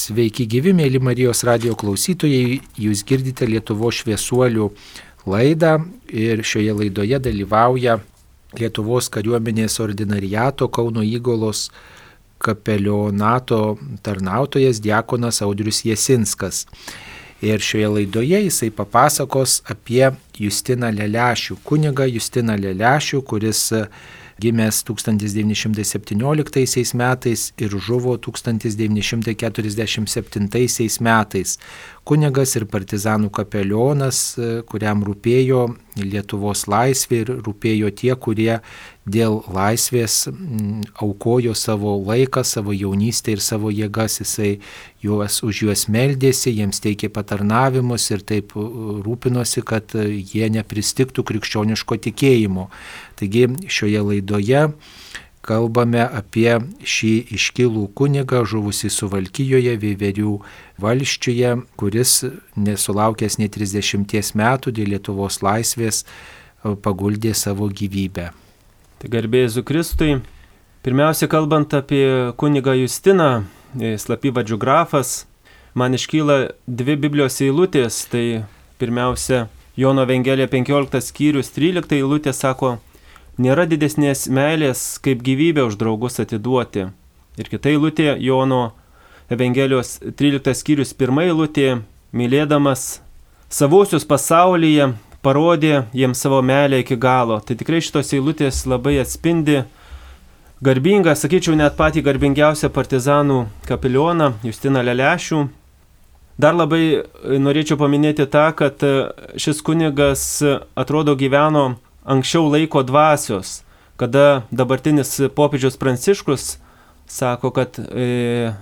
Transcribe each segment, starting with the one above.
Sveiki gyvi, mėly Marijos radijo klausytojai, jūs girdite Lietuvos šviesuolių laidą ir šioje laidoje dalyvauja Lietuvos kariuomenės ordinariato Kauno Įgulos kapelionato tarnautojas diakonas Audrius Jasinskas. Ir šioje laidoje jisai papasakos apie Justiną Lelešių, kunigą Justiną Lelešių, kuris gimęs 1917 metais ir žuvo 1947 metais. Kunigas ir partizanų kapelionas, kuriam rūpėjo Lietuvos laisvė ir rūpėjo tie, kurie dėl laisvės aukojo savo laiką, savo jaunystę ir savo jėgas. Jisai už juos meldėsi, jiems teikė patarnavimus ir taip rūpinosi, kad jie nepristigtų krikščioniško tikėjimo. Taigi šioje laidoje kalbame apie šį iškilų kunigą, žuvusį Suvalkijoje, Veiverių valsčiuje, kuris nesulaukęs net 30 metų dėl Lietuvos laisvės paguldė savo gyvybę. Tai garbė Jėzui Kristui. Pirmiausia, kalbant apie kunigą Justiną, slapyvardžiu Grafas, man iškyla dvi Biblijos eilutės. Tai pirmiausia, Jono Evangelija 15 skyrius 13 eilutė sako: nėra didesnės meilės, kaip gyvybę už draugus atiduoti. Ir kita eilutė, Jono Evangelijos 13 skyrius 1 eilutė: mylėdamas savuosius pasaulyje, parodė jiems savo meilę iki galo. Tai tikrai šitos eilutės labai atspindi garbingą, sakyčiau, net patį garbingiausią partizanų kapelioną Justiną Lelešių. Dar labai norėčiau paminėti tą, kad šis kunigas atrodo gyveno anksčiau laiko dvasios, kada dabartinis popiežius Pranciškus sako, kad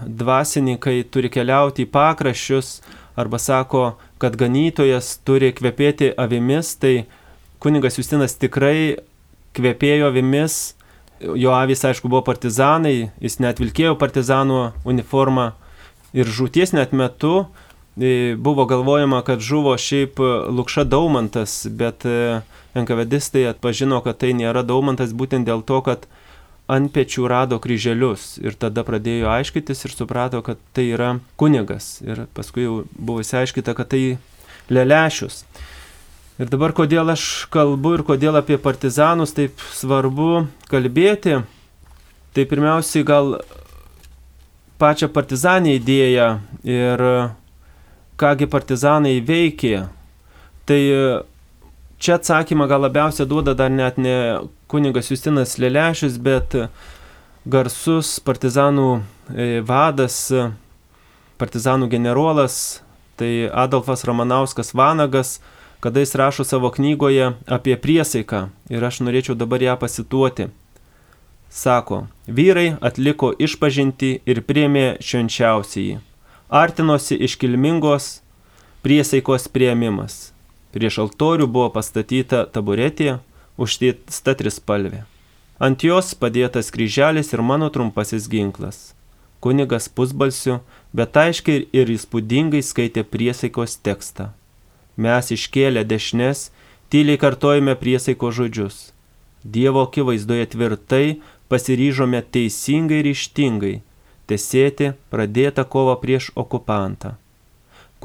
dvasininkai turi keliauti į pakraščius, arba sako, kad ganytojas turi kvepėti avimis. Tai kunigas Justinas tikrai kvepėjo avimis. Jo avys, aišku, buvo partizanai, jis net vilkėjo partizanų uniformą. Ir žūties net metu buvo galvojama, kad žuvo šiaip Lukša Daumantas, bet NKVDistai atpažino, kad tai nėra Daumantas būtent dėl to, kad ant pečių rado kryželius. Ir tada pradėjo aiškytis ir suprato, kad tai yra kunigas. Ir paskui jau buvo įsiaiškyta, kad tai Lelešius. Ir dabar kodėl aš kalbu ir kodėl apie partizanus taip svarbu kalbėti, tai pirmiausiai gal pačią partizanę idėją ir kągi partizanai veikė. Tai čia atsakymą gal labiausia duoda dar net ne kunigas Justinas Lelešius, bet garsus partizanų vadas, partizanų generolas, tai Adolfas Ramanauskas Vanagas, kada jis rašo savo knygoje apie priesaiką. Ir aš norėčiau dabar ją pasituoti. Sako: vyrai atliko išpažintį ir priėmė švenčiausiąjį. Artinosi iškilmingos priesaikos priėmimas. Prieš altorių buvo pastatyta taburetė, užtiesta trispalvė. Ant jos padėtas kryželis ir mano trumpasis ginklas. Kunigas pusbalsiu, bet aiškiai ir įspūdingai skaitė priesaikos tekstą. Mes iškėlę dešines, tyliai kartojame priesaiko žodžius. Dievo akivaizdoje tvirtai pasiryžome teisingai ir ryžtingai tesėti pradėtą kovą prieš okupantą,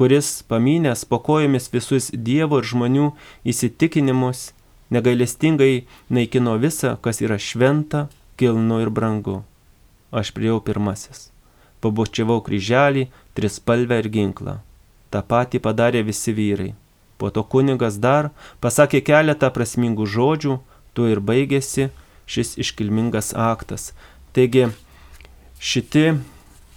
kuris pamynęs po kojomis visus Dievo ir žmonių įsitikinimus, negailestingai naikino visą, kas yra šventa, kilnu ir brangu. Aš priėjau pirmasis. Pabučiavau kryželį, trispalvę ir ginklą. Ta patį padarė visi vyrai. Po to kunigas dar pasakė keletą prasmingų žodžių, tuo ir baigėsi šis iškilmingas aktas. Taigi šiti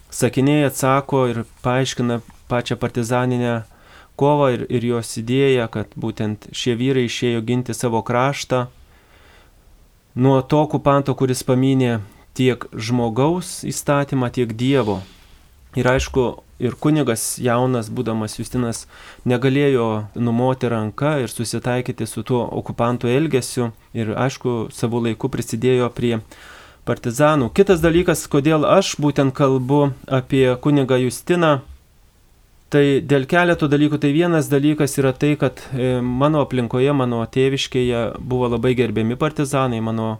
sakiniai atsako ir paaiškina pačią partizaninę kovą ir jos idėją, kad būtent šie vyrai išėjo ginti savo kraštą nuo to okupanto, kuris pamynė tiek žmogaus įstatymą, tiek Dievo. Ir aišku, ir kunigas jaunas, būdamas Justinas, negalėjo numoti ranką ir susitaikyti su tuo okupantų elgesiu. Ir aišku, savo laiku prisidėjo prie partizanų. Kitas dalykas, kodėl aš būtent kalbu apie kunigą Justiną, tai dėl keletų dalykų. Tai vienas dalykas yra tai, kad mano aplinkoje, mano tėviškėje buvo labai gerbiami partizanai. Mano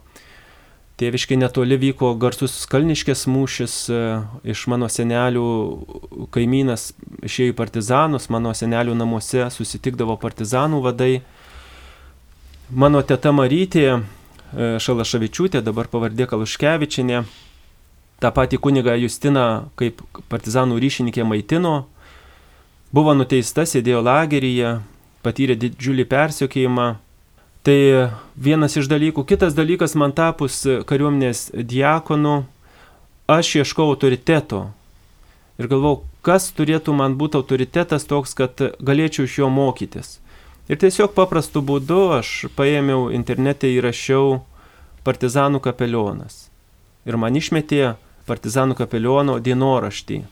Tėviškai netoli vyko garsus Kalniškės mūšis, iš mano senelių kaimynas išėjo į partizanus, mano senelių namuose susitikdavo partizanų vadai. Mano teta Marytė Šalaševičiūtė, dabar pavardė Kaluškevičienė, tą patį kunigą Justiną kaip partizanų ryšininkė maitino, buvo nuteista, sėdėjo lageryje, patyrė didžiulį persekiojimą. Tai vienas iš dalykų. Kitas dalykas, man tapus kariuomenės diakonu, aš ieškau autoriteto. Ir galvau, kas turėtų man būti autoritetas toks, kad galėčiau iš jo mokytis. Ir tiesiog paprastu būdu aš paėmiau internete, įrašiau partizanų kapelionas. Ir man išmetė partizanų kapeliono dienoraštį.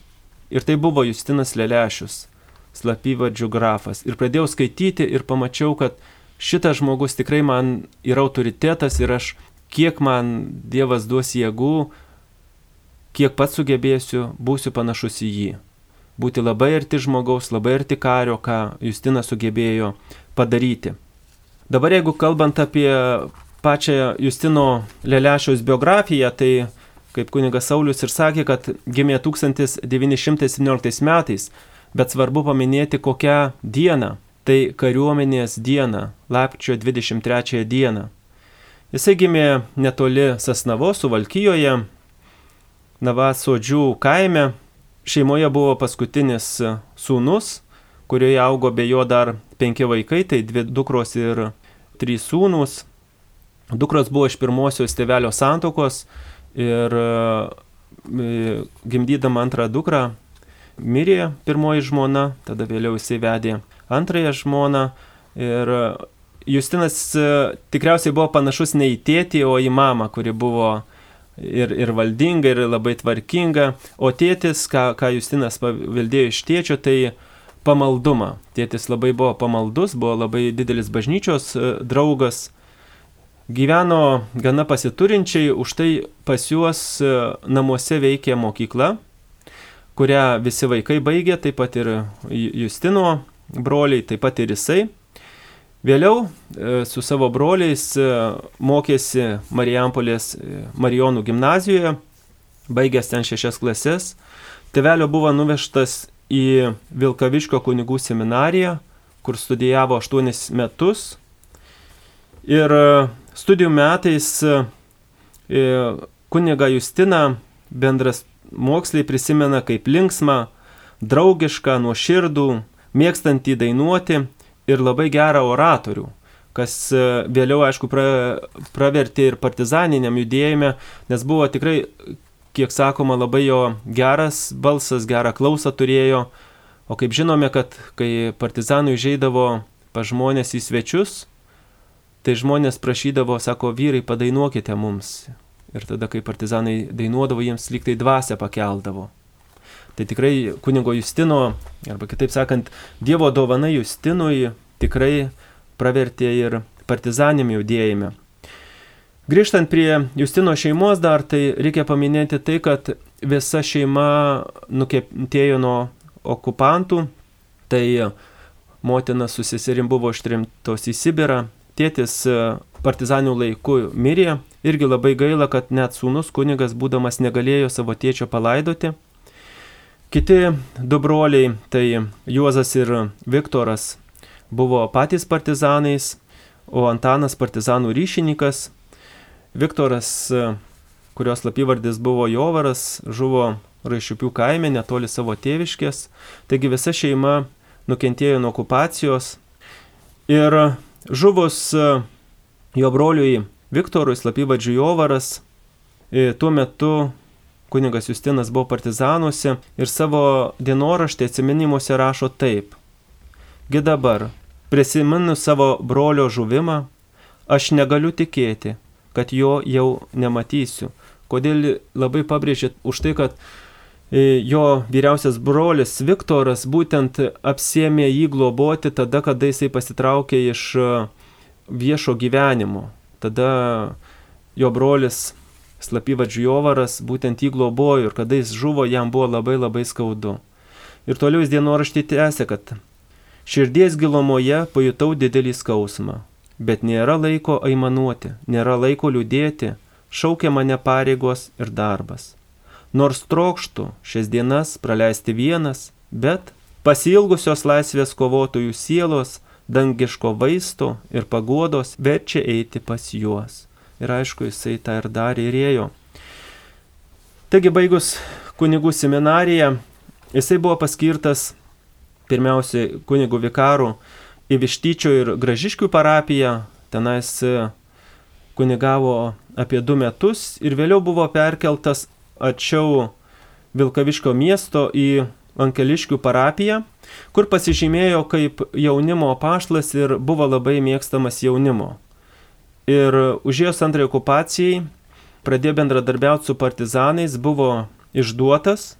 Ir tai buvo Justinas Lelešius, slapyvardžiu Grafas. Ir pradėjau skaityti ir pamačiau, kad šitas žmogus tikrai man yra autoritetas ir aš, kiek man Dievas duos jėgų, kiek pats sugebėsiu, būsiu panašus į jį. Būti labai arti žmogaus, labai arti kario, ką Justinas sugebėjo padaryti. Dabar jeigu kalbant apie pačią Justino Lelešiaus biografiją, tai kaip kunigas Saulius ir sakė, kad gimė 1917 metais, bet svarbu paminėti kokią dieną. Tai kariuomenės diena, lapkričio 23 dieną. Jisai gimė netoli Sasnavos, Suvalkijoje, Navasodžių kaime. Šeimoje buvo paskutinis sūnus, kurioje augo be jo dar 5 vaikai, tai 2 dukros ir 3 sūnūs. Dukros buvo iš pirmosios tėvelio santuokos ir gimdydama antrą dukrą mirė pirmoji žmona, tada vėliau jisai vedė antrąją žmoną ir Justinas tikriausiai buvo panašus ne į tėtį, o į mamą, kuri buvo ir valdinga, ir labai tvarkinga, o tėtis, ką Justinas paveldėjo iš tėčio, tai pamaldumą. Tėtis labai buvo pamaldus, buvo labai didelis bažnyčios draugas, gyveno gana pasiturinčiai, už tai pas juos namuose veikė mokykla, kurią visi vaikai baigė, taip pat ir Justino broliai, taip pat ir jisai. Vėliau su savo broliais mokėsi Marijampolės Marijonų gimnazijoje, baigęs ten 6 klases. Tėvelio buvo nuvežtas į Vilkaviškio kunigų seminariją, kur studijavo 8 metus. Ir studijų metais kunigą Justiną bendras moksliai prisimena kaip linksmą, draugišką, nuoširdų, mėgstantį dainuoti ir labai gerą oratorių, kas vėliau, aišku, pravertė ir partizaniniam judėjime, nes buvo tikrai, kiek sakoma, labai jo geras balsas, gerą klausą turėjo, o kaip žinome, kad kai partizanai užeidavo pas žmonės į svečius, tai žmonės prašydavo, sako, vyrai, padainuokite mums. Ir tada, kai partizanai dainuodavo, jiems lyg tai dvasią pakeldavo. Tai tikrai kunigo Justino, arba kitaip sakant, Dievo dovana Justinui tikrai pravertė ir partizaniniam judėjime. Grįžtant prie Justino šeimos dar, tai reikia paminėti tai, kad visa šeima nukentėjo nuo okupantų, tai motina su seserim buvo ištremtos į Sibirą, tėtis partizanių laiku mirė, irgi labai gaila, kad net sūnus kunigas būdamas negalėjo savo tėčio palaidoti. Kiti 2 broliai, tai Juozas ir Viktoras, buvo patys partizanais, o Antanas partizanų ryšininkas. Viktoras, kurios slapyvardis buvo Jovaras, žuvo Raišiupių kaime netoli savo tėviškės, taigi visa šeima nukentėjo nuo okupacijos. Ir žuvus jo broliui Viktorui, slapyvardžiu Jovaras, tuo metu kunigas Justinas buvo partizanuose ir savo dienoraštį atsiminimuose rašo taip. Gi dabar, prisimenu savo brolio žuvimą, aš negaliu tikėti, kad jo jau nematysiu. Kodėl labai pabrėžė už tai, kad jo vyriausias brolis Viktoras būtent apsėmė jį globoti tada, kada jisai pasitraukė iš viešo gyvenimo. Tada jo brolis slapyvardžiu Jovaras būtent jį globojo ir kada jis žuvo, jam buvo labai labai skaudu. Ir toliau jis dienoraštį tęsė, kad širdies gilumoje pajutau didelį skausmą, bet nėra laiko aimanuoti, nėra laiko liūdėti, šaukia mane pareigos ir darbas. Nors trokštų šias dienas praleisti vienas, bet pasiilgusios laisvės kovotojų sielos, dangiško vaisto ir paguodos verčia eiti pas juos. Ir aišku, jisai tą ir darė ir ėjo. Taigi, baigus kunigų seminariją, jisai buvo paskirtas pirmiausiai kunigų vikarų į Vištyčio ir Gražiškių parapiją. Tenais kunigavo apie 2 metus ir vėliau buvo perkeltas arčiau Vilkaviškio miesto į Ankeliškių parapiją, kur pasižymėjo kaip jaunimo apaštalas ir buvo labai mėgstamas jaunimo. Ir užėjus antrai okupacijai pradėjo bendradarbiauti su partizanais, buvo išduotas,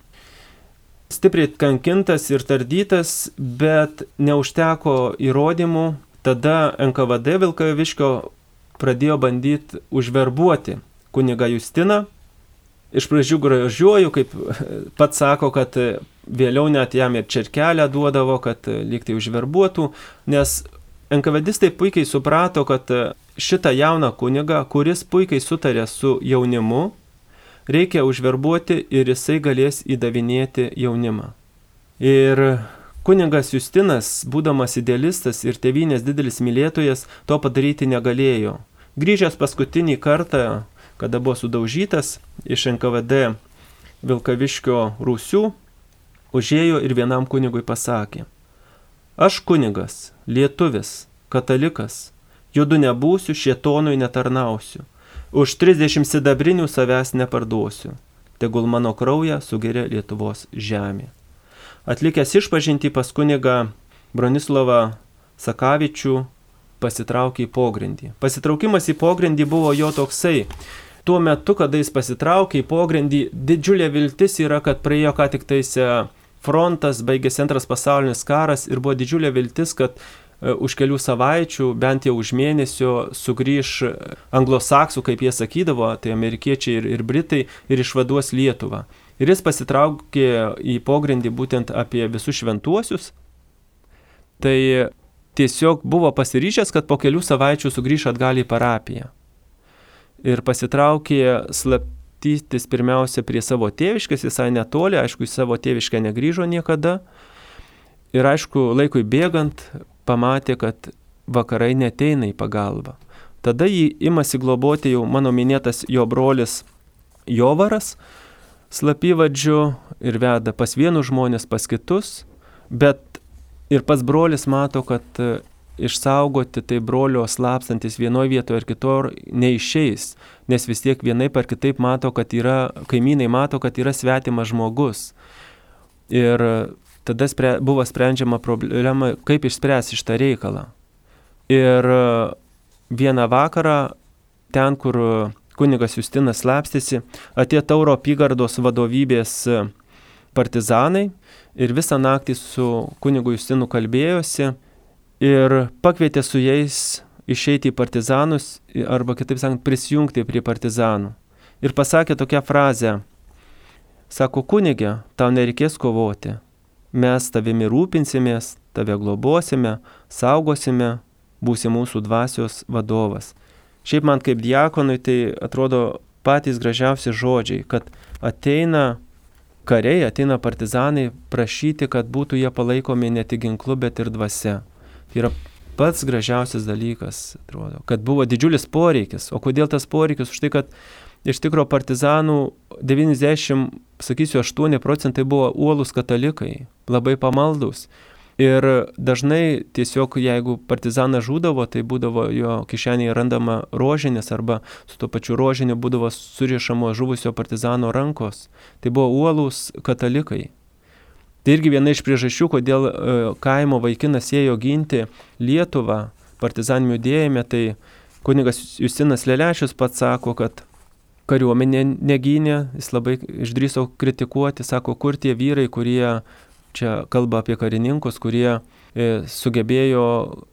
stipriai kankintas ir tardytas, bet neužteko įrodymų. Tada NKVD Vilkaviškio pradėjo bandyti užverbuoti kunigą Justiną. Iš pradžių gražiuoju, kaip pats sako, kad vėliau net jam ir čerkelę duodavo, kad lyg tai užverbuotų, nes NKVDistai puikiai suprato, kad šitą jauną kunigą, kuris puikiai sutarė su jaunimu, reikia užverbuoti ir jisai galės įdavinėti jaunimą. Ir kunigas Justinas, būdamas idealistas ir tėvynės didelis mylėtojas, to padaryti negalėjo. Grįžęs paskutinį kartą, kada buvo sudaužytas iš NKVD Vilkaviškio rūsių, užėjo ir vienam kunigui pasakė: aš kunigas, lietuvis, katalikas, judu nebūsiu, šėtonui netarnausiu, už 30 sidabrinių savęs neparduosiu, tegul mano kraują sugeria Lietuvos žemė. Atlikęs išpažintį pas kunigą Bronislavą Sakavičių, pasitraukė į pogrindį. Pasitraukimas į pogrindį buvo jo toksai. Tuo metu, kada jis pasitraukė į pogrindį, didžiulė viltis yra, kad praėjo ką tik tais frontas, baigėsi Antras pasaulinis karas ir buvo didžiulė viltis, kad už kelių savaičių, bent jau už mėnesio, sugrįž anglosaksų, kaip jie sakydavo, tai amerikiečiai ir britai, ir išvaduos Lietuvą. Ir jis pasitraukė į pogrindį būtent apie visus šventuosius. Tai tiesiog buvo pasiryžęs, kad po kelių savaičių sugrįž atgal į parapiją. Ir pasitraukė slapstytis pirmiausia prie savo tėviškės, visai netoli, aišku, į savo tėviškę negrįžo niekada. Ir aišku, laikui bėgant, pamatė, kad vakarai neteina į pagalbą. Tada jį imasi globoti jau mano minėtas jo brolis Jovaras, slapyvardžiu, ir veda pas vienus žmonės, pas kitus, bet ir pats brolis mato, kad išsaugoti tai brolio slapstantis vienoje vietoje ar kitur neišeis, nes vis tiek vienaip ar kitaip mato, kad kaimynai mato, kad yra svetimas žmogus. Ir tada buvo sprendžiama problema, kaip išspręsti šitą reikalą. Ir vieną vakarą, ten, kur kunigas Justinas slapstėsi, atėjo Tauro apygardos vadovybės partizanai ir visą naktį su kunigu Justinu kalbėjosi ir pakvietė su jais išeiti į partizanus, arba kitaip sakant, prisijungti prie partizanų. Ir pasakė tokią frazę: sako, kunige, tau nereikės kovoti, mes tavimi rūpinsimės, tave globosime, saugosime, būsi mūsų dvasios vadovas. Šiaip man kaip diakonui tai atrodo patys gražiausi žodžiai, kad ateina kariai, ateina partizanai prašyti, kad būtų jie palaikomi ne tik ginklu, bet ir dvasia. Tai yra pats gražiausias dalykas, atrodo, kad buvo didžiulis poreikis. O kodėl tas poreikis? Už tai, kad iš tikro partizanų 98% buvo uolūs katalikai, labai pamaldus. Ir dažnai tiesiog, jeigu partizanas žūdavo, tai būdavo jo kišenėje randama rožinės, arba su to pačiu rožiniu būdavo surišamo žuvusio partizano rankos. Tai buvo uolūs katalikai. Tai irgi viena iš priežasčių, kodėl kaimo vaikinas ėjo ginti Lietuvą partizaninių judėjime, tai kunigas Justinas Lelešius pats sako, kad kariuomenė negynė, jis labai išdrįso kritikuoti, sako, kur tie vyrai, kurie, čia kalba apie karininkus, kurie sugebėjo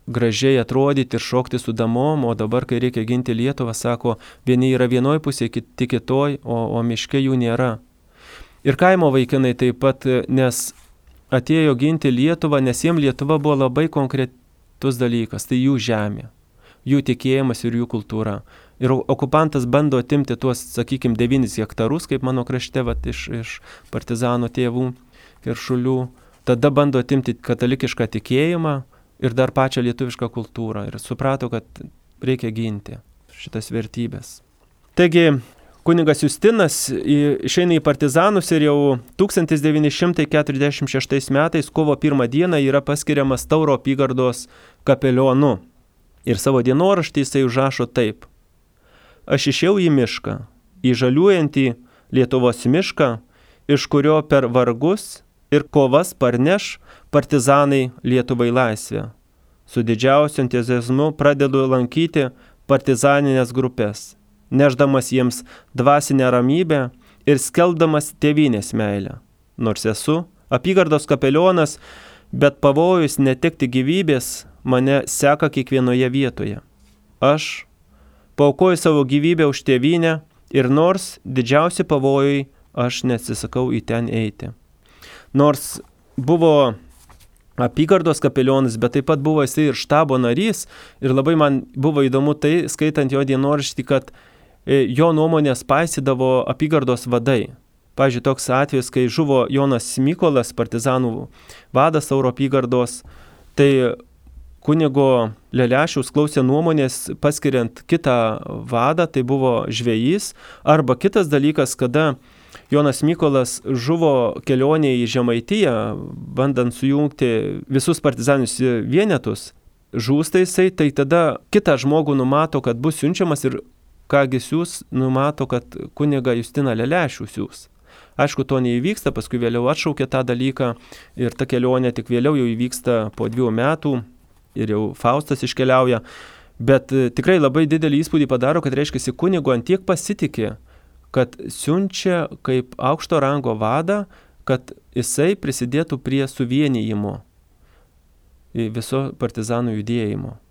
gražiai atrodyti ir šokti su damom, o dabar, kai reikia ginti Lietuvą, sako, vieni yra vienoj pusėje, kiti kitoj, o miške jų nėra. Ir kaimo vaikinai taip pat, nes atėjo ginti Lietuvą, nes jiems Lietuva buvo labai konkretus dalykas, tai jų žemė, jų tikėjimas ir jų kultūra. Ir okupantas bando atimti tuos, sakykime, 9 hektarus, kaip mano krašte, iš partizano tėvų Keršulių. Tada bando atimti katalikišką tikėjimą ir dar pačią lietuvišką kultūrą. Ir suprato, kad reikia ginti šitas vertybės. Taigi, kunigas Justinas išeina į partizanus ir jau 1946 metais, kovo 1 dieną, yra paskiriamas Tauro apygardos kapelionu. Ir savo dienoraštį jisai užrašo taip. Aš išėjau į mišką, į žaliuojantį Lietuvos mišką, iš kurio per vargus ir kovas parneš partizanai Lietuvai laisvę. Su didžiausiu entuziazmu pradedu lankyti partizaninės grupės, nešdamas jiems dvasinę ramybę ir skelbdamas tėvynės meilę. Nors esu apygardos kapelionas, bet pavojus netekti gyvybės mane seka kiekvienoje vietoje. Aš paaukoju savo gyvybę už tėvynę ir nors didžiausi pavojai, aš neatsisakau į ten eiti. Nors buvo apygardos kapelionas, bet taip pat buvo jisai ir štabo narys ir labai man buvo įdomu tai, skaitant jo dienoraštį, kad jo nuomonės paisydavo apygardos vadai. Pavyzdžiui, toks atvejis, kai žuvo Jonas Mykolas, partizanų vadas Tauro apygardos, tai kunigo Lelešiaus klausė nuomonės paskiriant kitą vadą, tai buvo žvejys, arba kitas dalykas, kada Jonas Mykolas žuvo kelionėje į Žemaitiją, bandant sujungti visus partizaninius vienetus, žūsta jisai, tai tada kitą žmogų numato, kad bus siunčiamas ir kągi siūs, numato, kad kunigą Justiną Lelešių siūs. Aišku, to neįvyksta, paskui vėliau atšaukė tą dalyką ir ta kelionė tik vėliau jau įvyksta po 2 metų. Ir jau Faustas iškeliauja, bet tikrai labai didelį įspūdį padaro, kad reiškia, kunigo antiek pasitikė, kad siunčia kaip aukšto rango vadą, kad jisai prisidėtų prie suvienijimo viso partizanų judėjimo.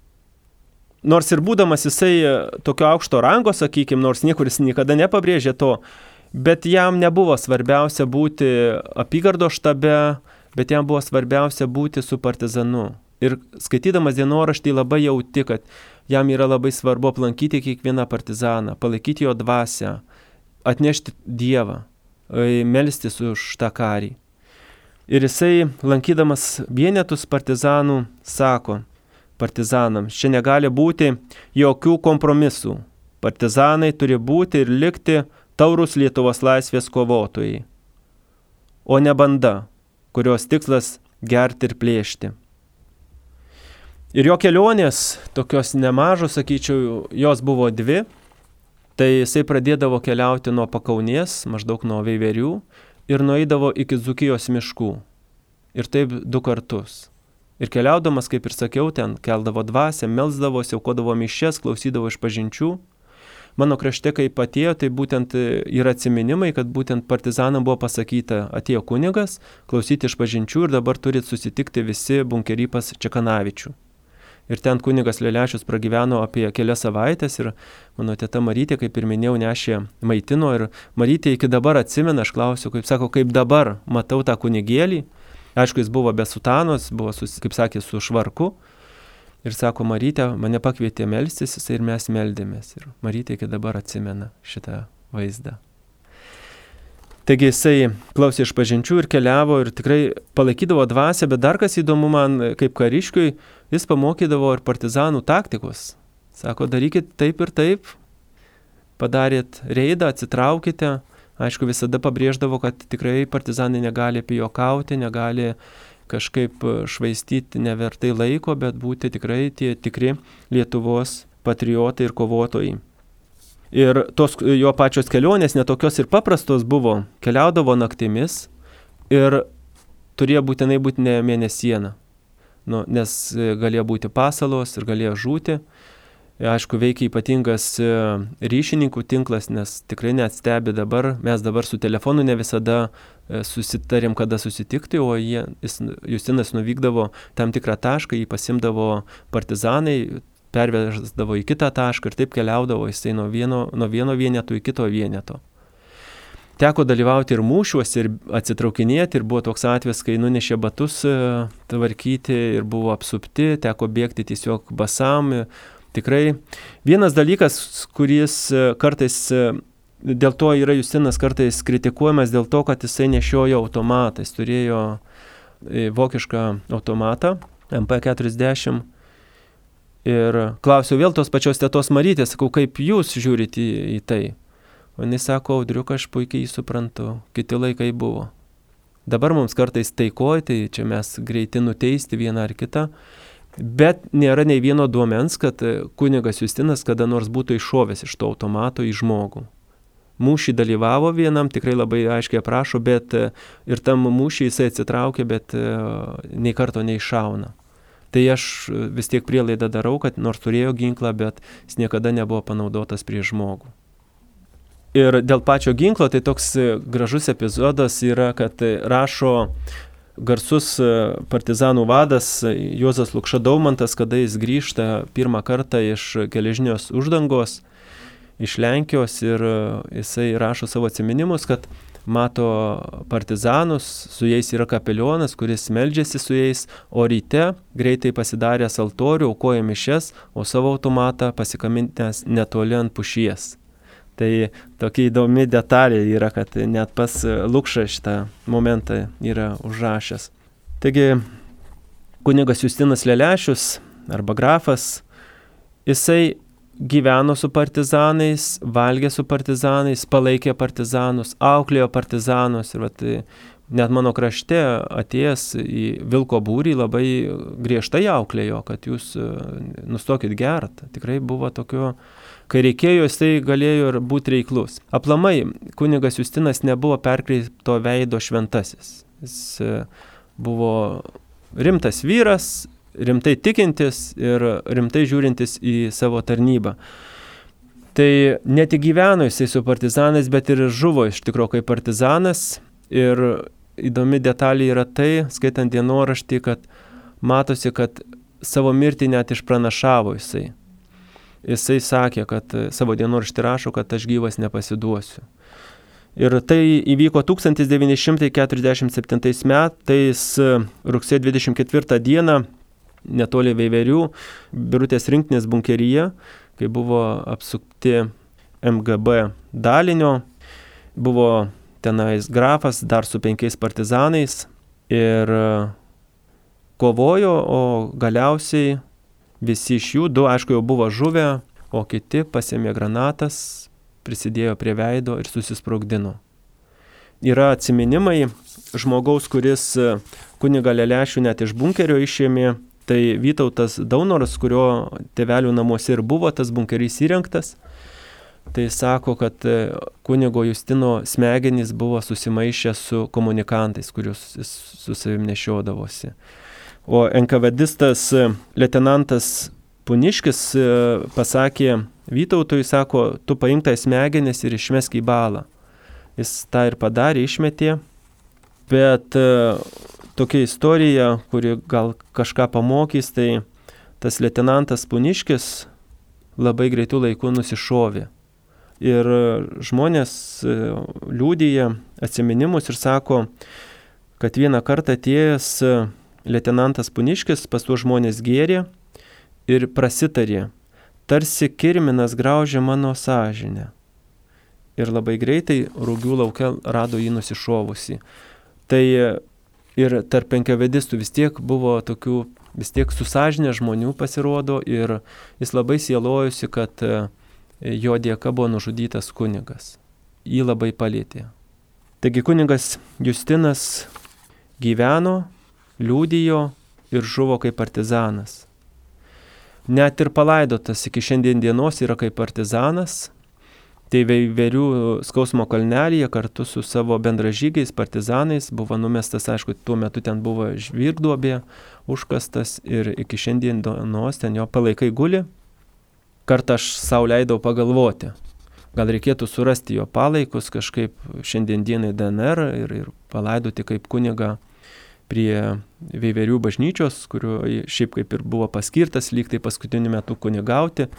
Nors ir būdamas jisai tokio aukšto rango, sakykime, nors niekur jis niekada nepabrėžė to, bet jam nebuvo svarbiausia būti apygardos štabe, bet jam buvo svarbiausia būti su partizanu. Ir skaitydamas dienoraštį labai jauti, kad jam yra labai svarbu aplankyti kiekvieną partizaną, palaikyti jo dvasią, atnešti Dievą, melstis už tą karį. Ir jisai, lankydamas vienetus partizanų, sako partizanams, čia negali būti jokių kompromisų. Partizanai turi būti ir likti taurūs Lietuvos laisvės kovotojai, o ne banda, kurios tikslas gerti ir plėšti. Ir jo kelionės, tokios nemažos, sakyčiau, jos buvo 2, tai jisai pradėdavo keliauti nuo Pakaunės, maždaug nuo Veiverių, ir nueidavo iki Dzūkijos miškų. Ir taip 2 kartus. Ir keliaudamas, kaip ir sakiau, ten keldavo dvasią, melsdavosi, aukodavo mišias, klausydavo išpažinčių. Mano krašte, kai atėjo, tai būtent yra atsiminimai, kad būtent partizanam buvo pasakyta, atėjo kunigas, klausyti išpažinčių ir dabar turit susitikti visi bunkery pas Čekanavičių. Ir ten kunigas Lelešius pragyveno apie kelias savaitės ir mano teta Marytė, kaip ir minėjau, nešė maitino ir Marytė iki dabar atsimena, aš klausiu, kaip dabar matau tą kunigėlį. Aišku, jis buvo be sutanos, buvo, kaip sakė, su švarku. Ir sako, Marytė mane pakvietė melstis ir mes meldėmės. Ir Marytė iki dabar atsimena šitą vaizdą. Taigi jisai klausė išpažinčių ir keliavo ir tikrai palaikydavo dvasią, bet dar kas įdomu man, kaip kariškiui, jis pamokydavo ir partizanų taktikos. Sako, darykit taip ir taip, padarėt reidą, atsitraukite. Aišku, visada pabrėždavo, kad tikrai partizanai negali pijokauti, negali kažkaip švaistyti nevertai laiko, bet būti tikrai tie tikri Lietuvos patriotai ir kovotojai. Ir tos jo pačios kelionės netokios ir paprastos buvo. Keliaudavo naktimis ir turėjo būtinai būti ne mėnesiena, nes galėjo būti pasalos ir galėjo žūti. Aišku, veikia ypatingas ryšininkų tinklas, nes tikrai net stebi dabar. Mes dabar su telefonu ne visada susitarėm, kada susitikti, o Justinas nuvykdavo tam tikrą tašką, jį pasimdavo partizanai, perveždavo į kitą tašką ir taip keliaudavo jisai nuo vieno vieneto į kito vieneto. Teko dalyvauti ir mūšiuose, ir atsitraukinėti, ir buvo toks atvejis, kai nunešė batus tvarkyti ir buvo apsupti, teko bėgti tiesiog basam, Tikrai vienas dalykas, kuris kartais, dėl to yra Justinas kartais kritikuojamas, dėl to, kad jisai nešiojo automatą. Jis turėjo vokišką automatą, MP40. Ir klausiau vėl tos pačios tetos Marytės, sakau, kaip jūs žiūrite į tai? O jis sako, Audriuk, aš puikiai jį suprantu, kiti laikai buvo. Dabar mums kartais taikoj, tai čia mes greiti nuteisti vieną ar kitą, bet nėra nei vieno duomens, kad kunigas Justinas kada nors būtų iššovęs iš to automato į žmogų. Mūšį dalyvavo vienam, tikrai labai aiškiai aprašo, bet ir tam mūšį jisai atsitraukė, bet nei karto neiššauna. Tai aš vis tiek prielaidą darau, kad nors turėjo ginklą, bet jis niekada nebuvo panaudotas prieš žmogų. Ir dėl pačio ginklo, tai toks gražus epizodas yra, kad rašo garsus partizanų vadas Juozas Lukša Daumantas, kada jis grįžta pirmą kartą iš geležinės uždangos, iš Lenkijos, ir jisai rašo savo atsiminimus, kad mato partizanus, su jais yra kapelionas, kuris meldžiasi su jais, o ryte greitai pasidaręs altorių, aukoja mišias, o savo automatą pasikaminęs netoli ant pušies. Tai tokia įdomi detalė yra, kad net pas Lukša šitą momentą yra užrašęs. Taigi, kunigas Justinas Lelešius, arba grafas, jisai gyveno su partizanais, valgė su partizanais, palaikė partizanus, auklėjo partizanus. Ir net mano krašte atėjęs į vilko būrį labai griežtai auklėjo, kad jūs nustokit gert. Tikrai buvo tokio, kai reikėjo, jisai galėjo ir būti reiklus. Aplamai, kunigas Justinas nebuvo perkreipto veido šventasis. Jis buvo rimtas vyras, rimtai tikintis ir rimtai žiūrintis į savo tarnybą. Tai ne tik gyveno jisai su partizanais, bet ir žuvo iš tikrųjų kaip partizanas. Ir įdomi detalė yra tai, skaitant dienoraštį, kad matosi, kad savo mirtį net išpranašavo jisai. Jisai sakė, kad savo dienoraštį rašo, kad aš gyvas nepasiduosiu. Ir tai įvyko 1947 metais, rugsėjo 24 dieną, netoli Veiverių, Birutės rinktinės bunkeryje, kai buvo apsupti MGB dalinio, buvo tenais grafas dar su 5 partizanais ir kovojo, o galiausiai visi iš jų, 2 aišku jau buvo žuvę, o kiti pasėmė granatas, prisidėjo prie veido ir susisprogdino. Yra atsiminimai žmogaus, kuris kunigą Lelešių net iš bunkerio išėmė, tai Vytautas Daunoras, kurio tėvelių namuose ir buvo tas bunkerys įrengtas. Tai sako, kad kunigo Justino smegenys buvo susimaišę su komunikantais, kuriuos jis su savim nešiodavosi. O NKVDistas leitenantas Puniškis pasakė Vytautui, sako, tu paimk tai smegenis ir išmesk į balą. Jis tą ir padarė, išmetė, bet tokia istorija, kuri gal kažką pamokys, tai tas leitenantas Puniškis labai greitų laikų nusišovė. Ir žmonės liudija atsiminimus ir sako, kad vieną kartą atėjęs leitenantas Puniškis pas tuos žmonės gėrė ir prasitarė, tarsi kirminas graužė mano sąžinę. Ir labai greitai Rūgių lauke rado jį nusišovusi. Tai ir tarp NKVDistų vis tiek buvo tokių, vis tiek su sąžinė žmonių pasirodo, ir jis labai sielojosi, kad jo dėka buvo nužudytas kunigas. Jį labai palėtė. Taigi kunigas Justinas gyveno, liudijo ir žuvo kaip partizanas. Net ir palaidotas iki šiandien dienos yra kaip partizanas. Tai Veiverių skausmo kalnelyje kartu su savo bendražygiais partizanais buvo numestas, aišku, tuo metu ten buvo žvirgduobė, užkastas, ir iki šiandien dienos ten jo palaikai guli. Kartą aš sau leidau pagalvoti, gal reikėtų surasti jo palaikus kažkaip šiandien dienai DNR ir palaidoti kaip kunigą prie Veiverių bažnyčios, kurio šiaip kaip ir buvo paskirtas lyg tai paskutiniu metu kunigauti.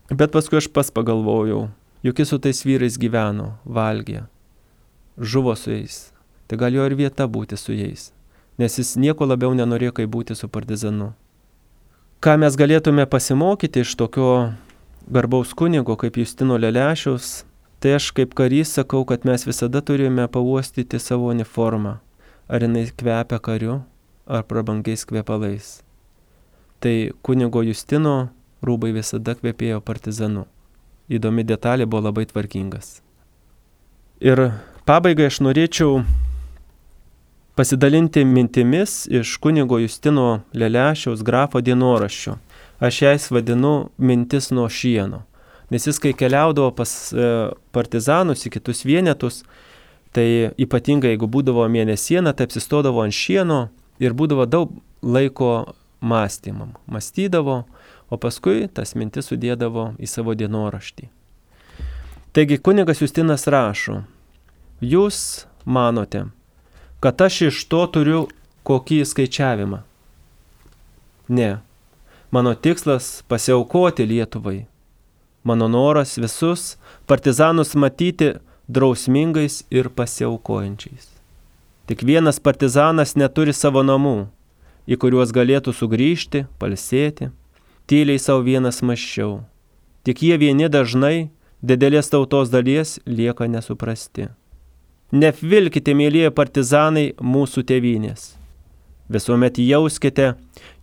Bet paskui aš pas pagalvojau, juk jis su tais vyrais gyveno, valgė, žuvo su jais. Tai gal jo ir vieta būti su jais, nes jis nieko labiau nenorėjo kaip būti su partizanu. ką mes galėtume pasimokyti iš tokio garbaus kunigo kaip Justino Lelešiaus, tai aš kaip karys sakau, kad mes visada turime pauostyti savo uniformą, ar jinai kvepia kariu, ar prabangiais kvepalais. Tai kunigo Justino rūbai visada kvepėjo partizanu. Įdomi detalė, buvo labai tvarkingas. Ir pabaigai aš norėčiau pasidalinti mintimis iš kunigo Justino Lelešiaus grafo dienoraščių. Aš jais vadinu mintis nuo šieno. Nes jis, kai keliaudavo pas partizanus į kitus vienetus, tai ypatingai jeigu būdavo mėnesiena, tai apsistodavo ant šieno ir būdavo daug laiko mąstymam. Mąstydavo, o paskui tas mintis sudėdavo į savo dienoraštį. Taigi kunigas Justinas rašo: jūs manote, kad aš iš to turiu kokį skaičiavimą? Ne. Mano tikslas pasiaukoti Lietuvai. Mano noras visus partizanus matyti drausmingais ir pasiaukojančiais. Tik vienas partizanas neturi savo namų, į kuriuos galėtų sugrįžti, pailsėti. Tyliai savo vienas mąsčiau. Tik jie vieni dažnai didelės tautos dalies lieka nesuprasti. Neapvilkite, mėlyje partizanai, mūsų tėvynės. Visuomet jauskite,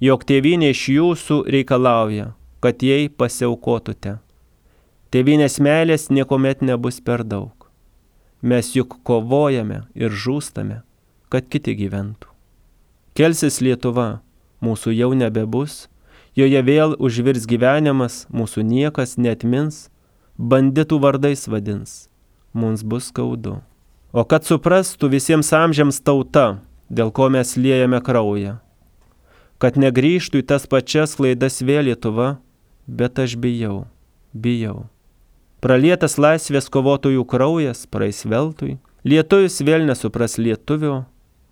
jog tėvynė iš jūsų reikalauja, kad jai pasiaukotute. Tėvynės meilės niekuomet nebus per daug. Mes juk kovojame ir žūstame, kad kiti gyventų. Kelsis Lietuva, mūsų jau nebebus, joje vėl užvirs gyvenimas, mūsų niekas neatmins, banditų vardais vadins, mums bus skaudu. O kad suprastų visiems amžiams tauta, dėl ko mes liejame kraują, kad negrįžtų į tas pačias klaidas vėl Lietuva, bet aš bijau. Pralietas laisvės kovotojų kraujas praeis veltui, lietuvis vėl nesupras lietuvio,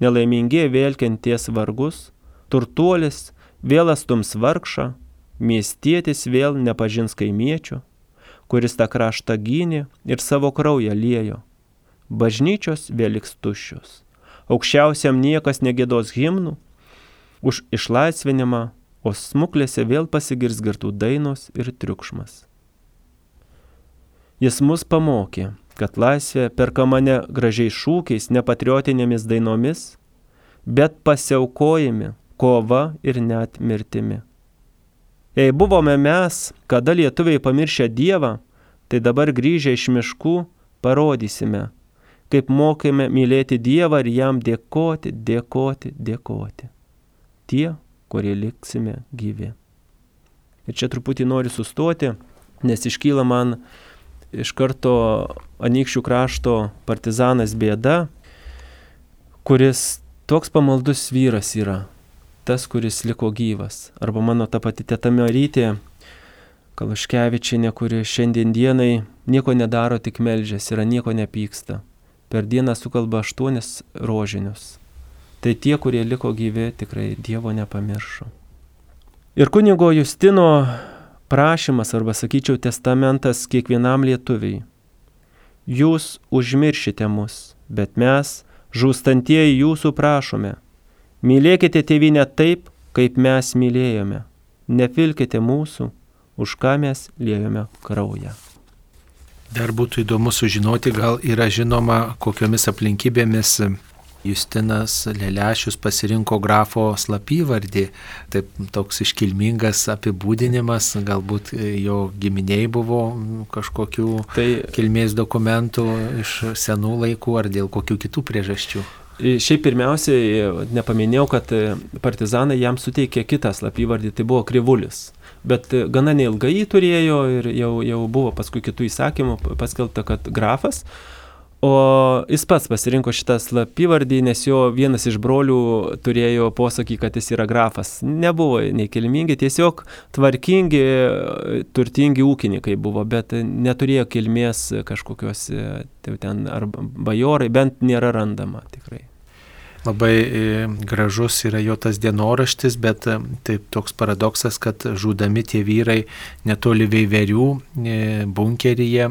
nelaimingie vėl kenties vargus, turtuolis vėl astums vargšą, miestietis vėl nepažins kaimiečio, kuris tą kraštą gynė ir savo kraują liejo. Bažnyčios vėl liks tuščios, aukščiausiam niekas negiedos himnų už išlaisvinimą, o smuklėse vėl pasigirs girtų dainos ir triukšmas. Jis mus pamokė, kad laisvė perkama ne gražiais šūkiais, ne patriotinėmis dainomis, bet pasiaukojami, kova ir net mirtimi. Jei buvome mes, kada lietuviai pamiršę Dievą, tai dabar grįžę iš miškų parodysime, kaip mokėme mylėti Dievą ir jam dėkoti. Tie, kurie liksime gyvi. Ir čia truputį noriu sustoti, nes iškyla man iš karto Anykščių krašto partizanas Bėda, kuris toks pamaldus vyras yra, tas, kuris liko gyvas. Arba mano ta pati teta Marytė Kaluškevičienė, kuri šiandien dienai nieko nedaro, tik meldžiasi, yra nieko nepyksta. Per dieną sukalba 8 rožinius. Tai tie, kurie liko gyvi, tikrai Dievo nepamiršo. Ir kunigo Justino prašymas, arba sakyčiau testamentas kiekvienam lietuviai. Jūs užmiršite mus, bet mes, žūstantieji, jūsų prašome. Mylėkite tėvynę taip, kaip mes mylėjome. Nepilkite mūsų, už ką mes liejome kraują. Dar būtų įdomu sužinoti, gal yra žinoma, kokiomis aplinkybėmis Justinas Lelešius pasirinko grafo slapyvardį. Taip, toks iškilmingas apibūdinimas, galbūt jo giminiai buvo kažkokių kilmės dokumentų iš senų laikų ar dėl kokių kitų priežasčių. Šiaip pirmiausiai nepaminėjau, kad partizanai jam suteikė kitą slapyvardį, tai buvo Krivulis. Bet gana neilgai jį turėjo ir jau buvo paskui kitų įsakymų paskelbta, kad grafas. O jis pats pasirinko šitą slapyvardį, nes jo vienas iš brolių turėjo posakį, kad jis yra grafas. Nebuvo nei kilmingi, tiesiog tvarkingi, turtingi ūkininkai buvo, bet neturėjo kilmės kažkokios ten ar bajorai, bent nėra randama tikrai. labai gražus yra jo tas dienoraštis, bet taip toks paradoksas, kad žudami tie vyrai netoli Veiverių bunkeryje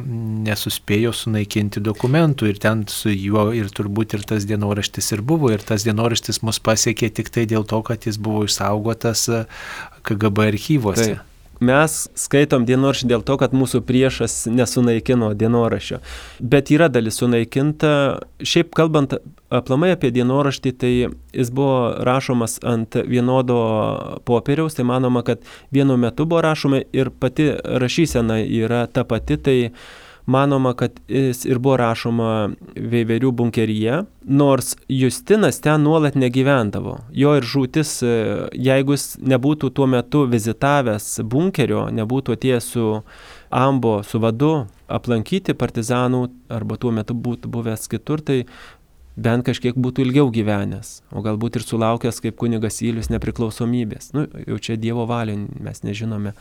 nesuspėjo sunaikinti dokumentų ir ten su juo ir turbūt ir tas dienoraštis ir buvo ir tas dienoraštis mus pasiekė tik tai dėl to, kad jis buvo išsaugotas KGB archyvuose. Tai. Mes skaitom dienoraštį dėl to, kad mūsų priešas nesunaikino dienoraščio. Bet yra dalis sunaikinta. Šiaip kalbant aplamai apie dienoraštį, tai jis buvo rašomas ant vienodo popieriaus. Tai manoma, kad vienu metu buvo rašoma ir pati rašysena yra ta pati. Tai manoma, kad jis ir buvo rašoma Veiverių bunkeryje, nors Justinas ten nuolat negyvendavo. Jo ir žūtis, jeigu jis nebūtų tuo metu vizitavęs bunkerio, nebūtų atėjęs su ambo, su vadu aplankyti partizanų, arba tuo metu būtų buvęs kitur, tai bent kažkiek būtų ilgiau gyvenęs, o galbūt ir sulaukęs kaip kunigas Ylius nepriklausomybės. Jau čia Dievo valia, mes nežinome.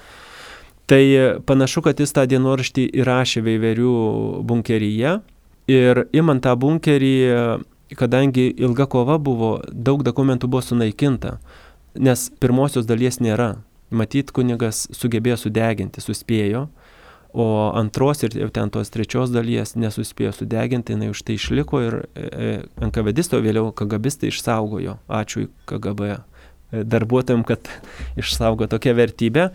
Tai panašu, kad jis tą dienoraštį įrašė Veiverių bunkeryje ir imant tą bunkerį, kadangi ilga kova buvo, daug dokumentų buvo sunaikinta, nes pirmosios dalies nėra. Matyt, kunigas sugebėjo sudeginti, suspėjo, o antros ir ten tos trečios dalies nesuspėjo sudeginti, jinai už tai išliko ir NKVDistai, o vėliau KGBistai išsaugojo. Ačiū KGB darbuotojams, kad išsaugo tokią vertybę.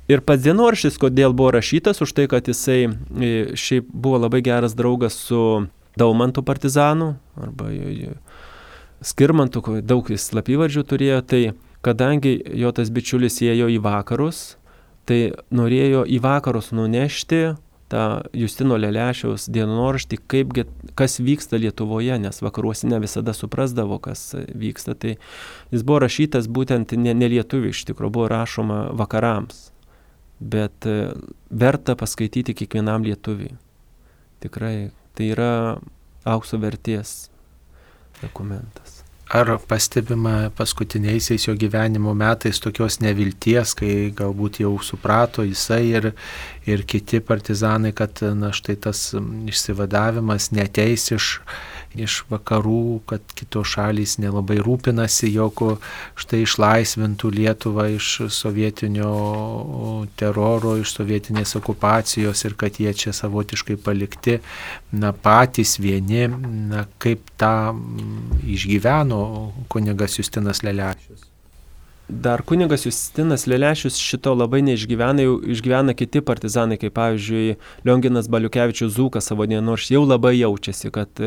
Ir pats dienoraštis, kodėl buvo rašytas, už tai, kad jisai šiaip buvo labai geras draugas su Daumantu partizanu, arba Skirmantu, daug jis slapyvardžių turėjo, tai kadangi jo tas bičiulis ėjo į vakarus, tai norėjo į vakarus nunešti tą Justino Lelešiaus dienoraštį, kas vyksta Lietuvoje, nes vakaruose ne visada suprasdavo, kas vyksta. Tai jis buvo rašytas būtent ne lietuvių, iš tikrųjų buvo rašoma vakarams. Bet verta paskaityti kiekvienam lietuviui. Tikrai, tai yra aukso vertės dokumentas. Ar pastebima paskutiniaisiais jo gyvenimo metais tokios nevilties, kai galbūt jau suprato jisai ir kiti partizanai, kad štai tas išsivadavimas neateis iš vakarų, kad kitos šalys nelabai rūpinasi, jog štai išlaisvintų Lietuvą iš sovietinio teroro, iš sovietinės okupacijos ir kad jie čia savotiškai palikti patys vieni, kaip tą išgyveno kunigas Justinas Lelešius. Dar kunigas Justinas Lelešius šito labai neišgyvena, jau išgyvena kiti partizanai, kaip pavyzdžiui Lionginas Baliukevičius Zūkas savo dienoraštyje jau labai jaučiasi, kad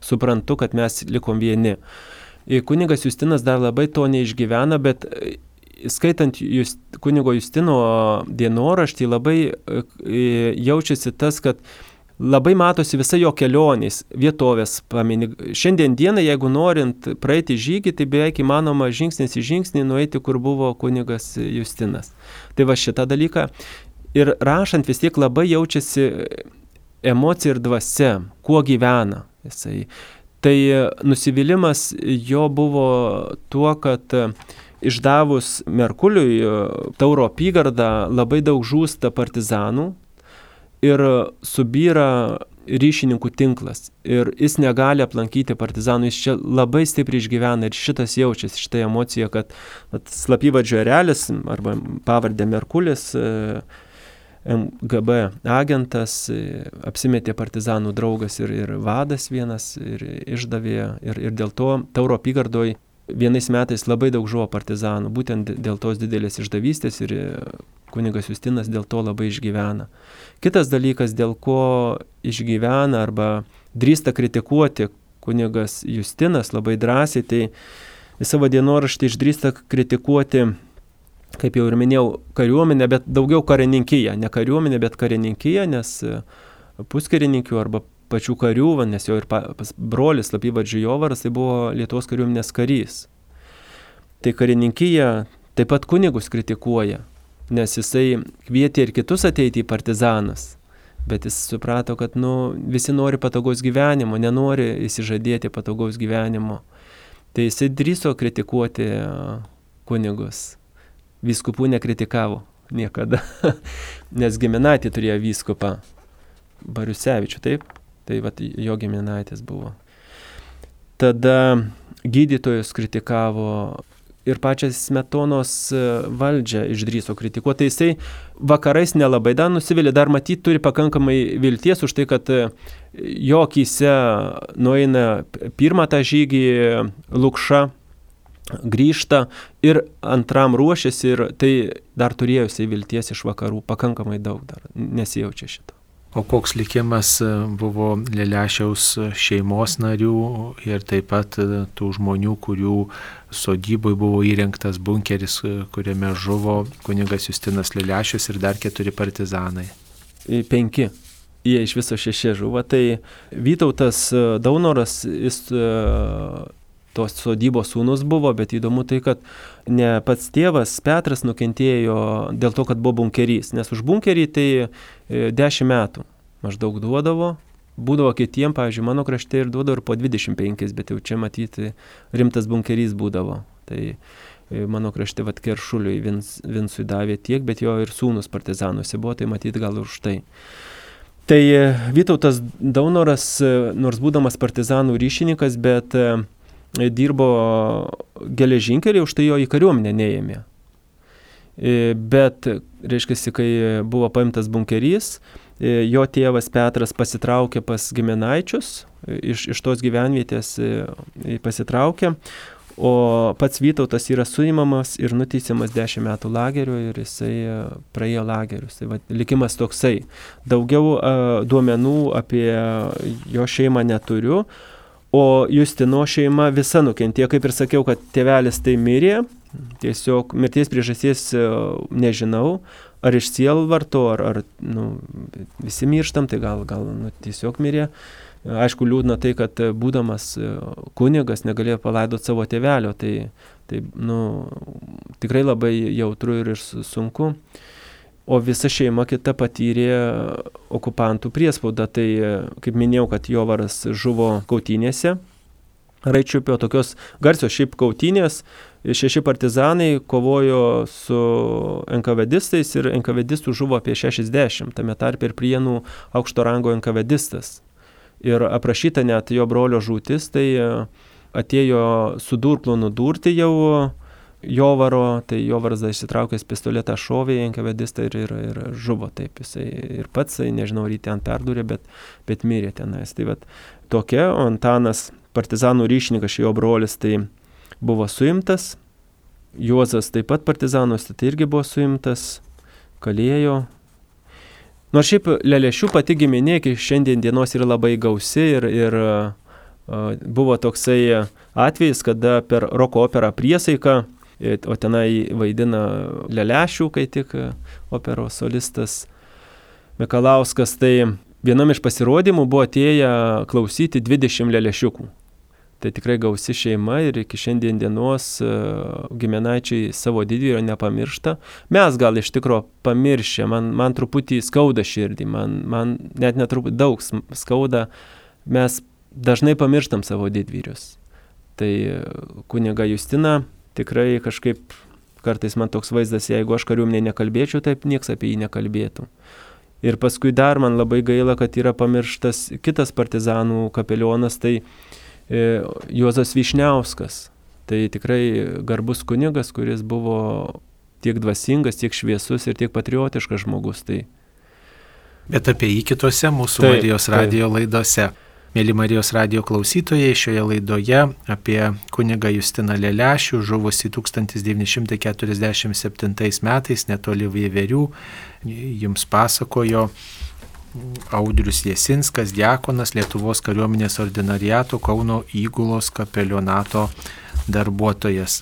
suprantu, kad mes likom vieni. Kunigas Justinas dar labai to neišgyvena, bet skaitant kunigo Justino dienoraštį labai jaučiasi tas, kad labai matosi visa jo kelionės, vietovės pamini. Šiandien dieną, jeigu norint praeiti žygį, tai beveik įmanoma žingsnis į žingsnį nueiti, kur buvo kunigas Justinas. Tai va šitą dalyką. Ir rašant vis tiek labai jaučiasi emocija ir dvasia, kuo gyvena jisai. Tai nusivylimas jo buvo tuo, kad išdavus Merkuliui Tauro apygardą labai daug žūsta partizanų, ir subyra ryšininkų tinklas. Ir jis negali aplankyti partizanų, jis čia labai stipriai išgyvena ir šitas jaučiasi, šitą emociją, kad slapyvardžio erelis arba pavardė Merkulis, MGB agentas, apsimetė partizanų draugas ir vadas vienas ir išdavė. Ir dėl to Tauro apygardoj vienais metais labai daug žuvo partizanų, būtent dėl tos didelės išdavystės ir kunigas Justinas dėl to labai išgyvena. Kitas dalykas, dėl ko išgyvena arba drįsta kritikuoti kunigas Justinas labai drąsiai, tai į savo dienoraštį išdrįsta kritikuoti, kaip jau ir minėjau, kariuomenę, bet daugiau karininkiją. Ne kariuomenę, bet karininkiją, nes puskarininkių arba pačių karių, nes jo ir brolis slapyvardžiu Jovaras, tai buvo Lietuvos kariuomenės karys. Tai karininkiją taip pat kunigus kritikuoja, nes jisai kvietė ir kitus ateiti į partizanus, bet jis suprato, kad visi nori patogaus gyvenimo, nenori įsižadėti patogaus gyvenimo. Tai jisai drįso kritikuoti kunigus. Vyskupų nekritikavo niekada, nes giminaitį turėjo vyskupą Bariusevičių, taip? Tai vat jo giminaitis buvo. Tada gydytojus kritikavo ir pačią Smetonos valdžią išdrįso kritikuoti. Tai jisai vakarais nelabai dar nusivylė, dar matyt turi pakankamai vilties už tai, kad jo akyse nueina pirmą tą žygį Lukša, grįžta ir antram ruošiasi ir tai dar turėjo jisai vilties iš vakarų, pakankamai daug dar, nesijaučia šito. O koks likimas buvo Lelešiaus šeimos narių ir taip pat tų žmonių, kurių sodyboj buvo įrengtas bunkeris, kuriame žuvo kunigas Justinas Lelešius ir dar 4 partizanai? 5. Jie iš viso 6 žuvo. Tai Vytautas Daunoras, jis tos sodybos sūnus buvo, bet įdomu tai, kad ne pats tėvas Petras nukentėjo dėl to, kad buvo bunkerys, nes už bunkerį tai 10 metų maždaug duodavo, būdavo kitiem, pavyzdžiui, mano krašte ir duodavo ir po 25, bet jau čia matyti rimtas bunkerys būdavo. Tai mano krašte Keršuliui Vincui davė tiek, bet jo ir sūnus partizanuose buvo, tai matyti gal už tai. Tai Vytautas Daunoras, nors būdamas partizanų ryšininkas, bet dirbo geležinkelį, už tai jo į kariuomenę neėmė. Bet, reiškia, kai buvo paimtas bunkerys, jo tėvas Petras pasitraukė pas giminaičius, iš tos gyvenvietės pasitraukė, o pats Vytautas yra suimamas ir nuteisiamas 10 metų lagerio ir jisai praėjo lagerius. Tai likimas toksai. Daugiau duomenų apie jo šeimą neturiu. O Justino šeima visa nukentėjo, kaip ir sakiau, kad tėvelis tai mirė, tiesiog mirties priežasties nežinau, ar iš sielvarto, ar visi mirštam, tai gal tiesiog mirė. Aišku, liūdna tai, kad būdamas kunigas negalėjo palaidoti savo tėvelio, tai tikrai labai jautru ir sunku. O visa šeima kita patyrė okupantų priespaudą. Tai, kaip minėjau, kad Jovaras žuvo kautynėse. Raičiupio tokios garsios šiaip kautynės. 6 partizanai kovojo su NKVDistais ir NKVDistų žuvo apie 60. Tame tarpe ir Prienų aukšto rango NKVDistas. Ir aprašyta net jo brolio žūtis, tai atėjo su durklu nudurti jau Jovaro, tai Jovaras išsitraukęs pistoletą šovė į NKVDistą ir žuvo taip. Jisai ir pats, nežinau, ar jį ten perdūrė, bet mirė tenais. Tai tokia, o Antanas, partizanų ryšininkas, jo brolis, tai buvo suimtas. Juozas taip pat partizanuose, tai irgi buvo suimtas, kalėjo. Nors šiaip Lelešių pati giminė iki šiandien dienos yra labai gausi ir buvo toksai atvejis, kada per roko operą Priesaika, o tenai vaidina Lelešių, kai tik operos solistas Mikalauskas, tai vienam iš pasirodymų buvo atėję klausyti 20 Lelešiukų. Tai tikrai gausi šeima ir iki šiandien dienos giminaičiai savo didvyrio nepamiršta. Mes gal iš tikro pamiršę, man truputį skauda širdį, man net netruputį daug skauda, mes dažnai pamirštam savo didvyrius. Tai kuniga Justina tikrai kažkaip kartais man toks vaizdas, jeigu aš kariuomenėje nekalbėčiau, taip nieks apie jį nekalbėtų. Ir paskui dar man labai gaila, kad yra pamirštas kitas partizanų kapelionas, tai Juozas Vyšniauskas. Tai tikrai garbus kunigas, kuris buvo tiek dvasingas, tiek šviesus ir tiek patriotiškas žmogus. Tai... Bet apie jį kitose mūsų Marijos radijo laidose. Mėly Marijos radijo klausytojai, šioje laidoje apie kunigą Justiną Lelešių, žuvusi 1947 metais netoli Vieverių, jums pasakojo Audrius Jasinskas, diakonas, Lietuvos kariuomenės ordinariato Kauno įgulos kapelionato darbuotojas.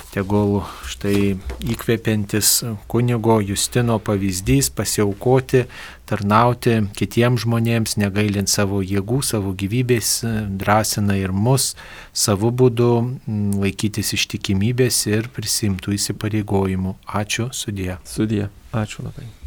Tegul štai įkvepiantis kunigo Justino pavyzdys pasiaukoti, tarnauti kitiems žmonėms, negailint savo jėgų, savo gyvybės, drąsina ir mus savo būdu laikytis ištikimybės ir prisimtų įsipareigojimų. Ačiū, sudie. Sudie, ačiū labai.